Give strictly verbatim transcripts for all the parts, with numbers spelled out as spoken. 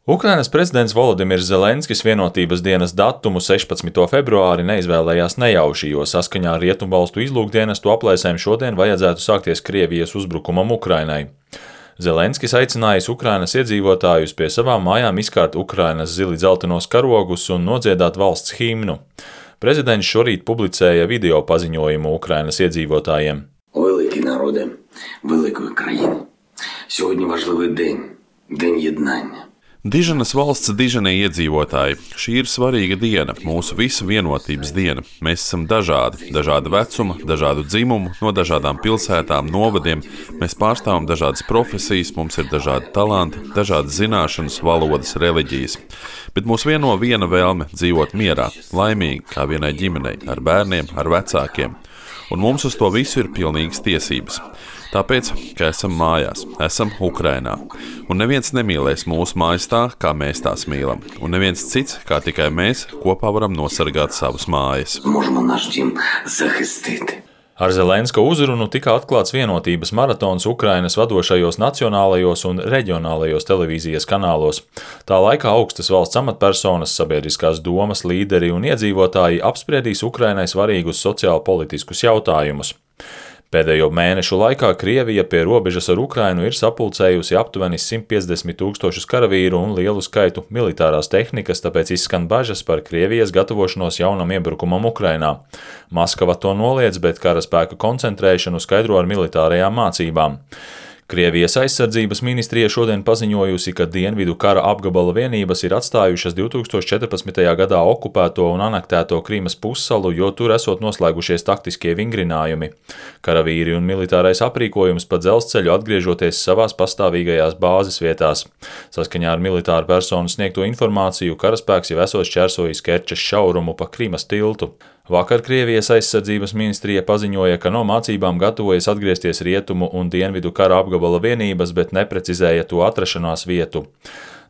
Ukrainas prezidents Volodimirs Zelenskis vienotības dienas datumu sešpadsmito februāri neizvēlējās nejauši, jo saskaņā ar Rietumvalstu izlūkdienestu aplēsēm šodien vajadzētu sākties Krievijas uzbrukumam Ukrainai. Zelenskis aicinājis Ukrainas iedzīvotājus pie savām mājām izkārt Ukrainas zili dzeltenos karogus un nodziedāt valsts himnu. Prezidents šorīt publicēja video paziņojumu Ukrainas iedzīvotājiem. Великі народи великої країни. Сьогодні важливий день, день єднання. Diženas valsts diženie iedzīvotāji. Šī ir svarīga diena, mūsu visu vienotības diena. Mēs esam dažādi, dažāda vecuma, dažādu dzimumu, no dažādām pilsētām, novadiem. Mēs pārstāvam dažādas profesijas, mums ir dažādi talanti, dažādas zināšanas, valodas, reliģijas. Bet mūs vieno viena vēlme dzīvot mierā, laimīgi, kā vienai ģimenei, ar bērniem, ar vecākiem. Un mums uz to visu ir pilnīgas tiesības. Tāpēc, ka esam mājās, esam Ukrainā. Un neviens nemīlēs mūsu mājas tā, kā mēs tās mīlam. Un neviens cits, kā tikai mēs, kopā varam nosargāt savas mājas. Ar Zelenska uzrunu tika atklāts vienotības maratons Ukrainas vadošajos nacionālajos un reģionālajos televīzijas kanālos. Tā laikā augstas valsts amatpersonas, sabiedriskās domas līderi un iedzīvotāji apspriedīs Ukrainai svarīgus sociālpolitiskus jautājumus. Pēdējo mēnešu laikā Krievija pie robežas ar Ukrainu ir sapulcējusi aptuveni simt piecdesmit tūkstošus karavīru un lielu skaitu militārās tehnikas, tāpēc izskan bažas par Krievijas gatavošanos jaunam iebrukumam Ukrainā. Maskava to noliedz, bet karaspēka koncentrēšanu skaidro ar militārajām mācībām. Krievijas aizsardzības ministrija šodien paziņojusi, ka dienvidu kara apgabala vienības ir atstājušas divi tūkstoši četrpadsmitajā gadā okupēto un anektēto Krīmas pussalu, jo tur esot noslēgušies taktiskie vingrinājumi. Karavīri un militārais aprīkojums pa dzelzceļu atgriežoties savās pastāvīgajās bāzes vietās. Saskaņā ar militāru personu sniegto informāciju karaspēks jau esot šķērsojis Kerčes šaurumu pa Krīmas tiltu. Vakar Krievijas aizsardzības ministrija paziņoja, ka no mācībām gatavojas atgriezties rietumu un dienvidu kara apgabala vienības, bet neprecizēja to atrašanās vietu.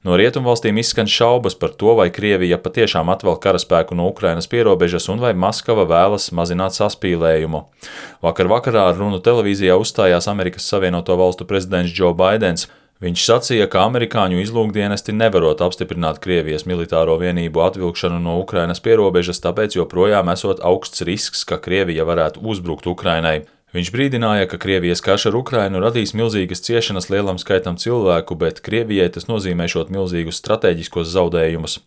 No rietumvalstīm izskan šaubas par to, vai Krievija patiešām atvēl karaspēku no Ukrainas pierobežas un vai Maskava vēlas mazināt saspīlējumu. Vakar vakarā ar runu televīzijā uzstājās Amerikas Savienoto Valstu prezidents Džo Baidens. Viņš sacīja, ka amerikāņu izlūkdienesti nevarot apstiprināt Krievijas militāro vienību atvilkšanu no Ukrainas pierobežas, tāpēc joprojām esot augsts risks, ka Krievija varētu uzbrukt Ukrainai. Viņš brīdināja, ka Krievijas karš ar Ukrainu radīs milzīgas ciešanas lielam skaitam cilvēku, bet Krievijai tas nozīmēšot milzīgus strateģiskos zaudējumus.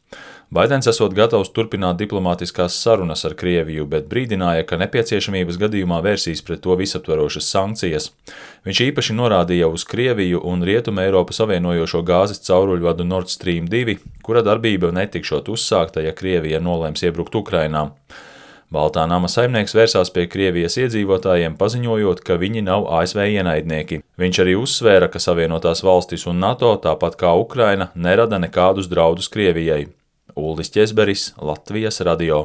Baidens esot gatavs turpināt diplomātiskās sarunas ar Krieviju, bet brīdināja, ka nepieciešamības gadījumā vērsīs pret to visaptverošas sankcijas. Viņš īpaši norādīja uz Krieviju un Rietumu Eiropu savienojošo gāzes cauruļvadu Nord Stream divi, kura darbība netikšot uzsākta, ja Krievija nolēms iebrukt Ukrainā. Baltā nama saimnieks vērsās pie Krievijas iedzīvotājiem, paziņojot, ka viņi nav A S V ienaidnieki. Viņš arī uzsvēra, ka Savienotās valstis un NATO, tāpat kā Ukraina, nerada nekādus draudus Krievijai. Uldis Ķezberis, Latvijas radio.